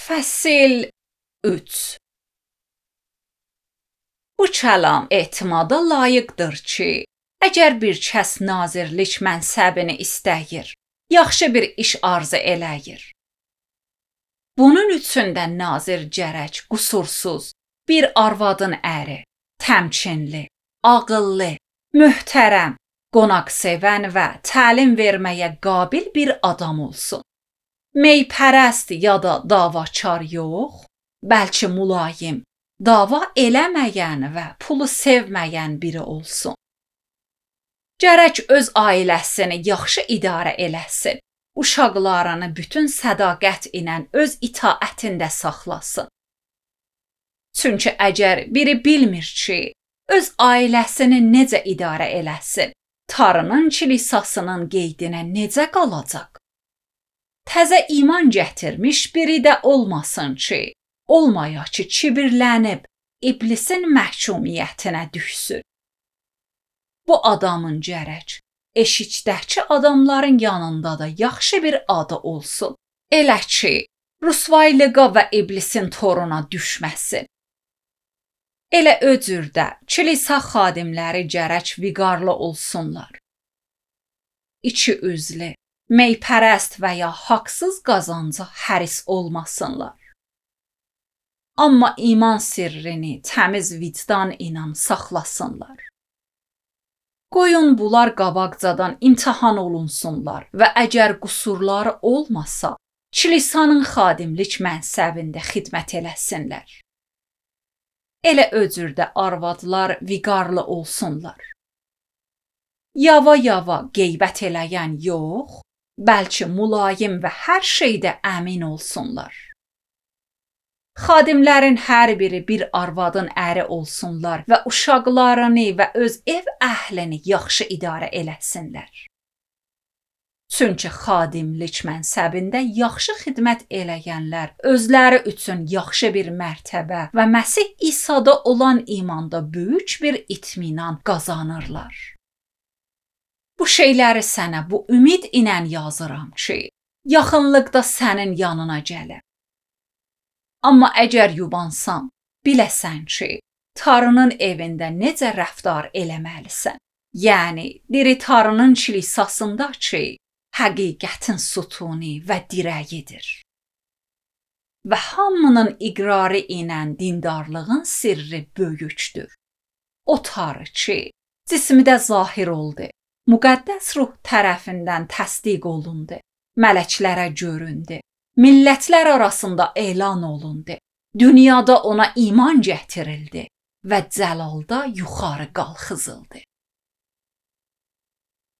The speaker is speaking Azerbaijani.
Fəsil 3. Bu kəlam etimada layiqdir ki, əgər bir kəs nazirlik mənsəbini istəyir, yaxşı bir iş arzu eləyir. Bunun üçün də nazir gərək qusursuz, bir arvadın əri, təmkinli, ağıllı, möhtərəm, qonaqsevən və təlim verməyə qabil bir adam olsun. Meypərəst ya da davakar yox, bəlkə mülayim, dava eləməyən və pulu sevməyən biri olsun. Gərək öz ailəsini yaxşı idarə eləsin, uşaqlarını bütün sədaqət ilə öz itaətində saxlasın. Çünki əgər biri bilmir ki, öz ailəsini necə idarə eləsin, Tanrının kilisasının qeydinə necə qalacaq? Təzə iman gətirmiş biri də olmasın ki, olmaya ki, kibirlənib, iblisin məhkumiyyətinə düşsün. Bu adamın gərək eşikdəki adamların yanında da yaxşı bir adı olsun. Elə ki, rüsvaylığa və iblisin toruna düşməsin. Elə o cürdə kilisa xadimləri gərək viqarlı olsunlar. İki üzlü, meypərəst və ya haqsız qazanca həris olmasınlar. Amma iman sirrini təmiz vicdan ilə saxlasınlar. Qoyun bunlar qabaqcadan imtahan olunsunlar və əgər qüsurları olmasa, kilisanın xadimlik mənsəbində xidmət eləsinlər. Elə o cürdə arvadlar viqarlı olsunlar. Yava-yava qeybət eləyən yox, bəlkə mülayim və hər şeydə əmin olsunlar. Xadimlərin hər biri bir arvadın əri olsunlar və uşaqlarını və öz ev əhlini yaxşı idarə eləsinlər. Çünki xadimlik mənsəbində yaxşı xidmət eləyənlər özləri üçün yaxşı bir mərtəbə və Məsih İsa'da olan imanda böyük bir itminan qazanırlar. Bu şeyləri sənə bu ümid ilə yazıram ki, yaxınlıqda sənin yanına gələm. Amma əgər yubansan, biləsən ki, Tanrının evində necə rəftar eləməlisən. Yəni, diri Tanrının kilisasında ki, həqiqətin sütunu və dirəyidir. Və hamının iqrarı ilə dindarlığın sirri böyükdür. O Tanrı ki, cismidə zahir oldu. Müqəddəs ruh tərəfindən təsdiq olundu, mələklərə göründü, millətlər arasında elan olundu, dünyada ona iman gətirildi və cəlalda yuxarı qalxızıldı.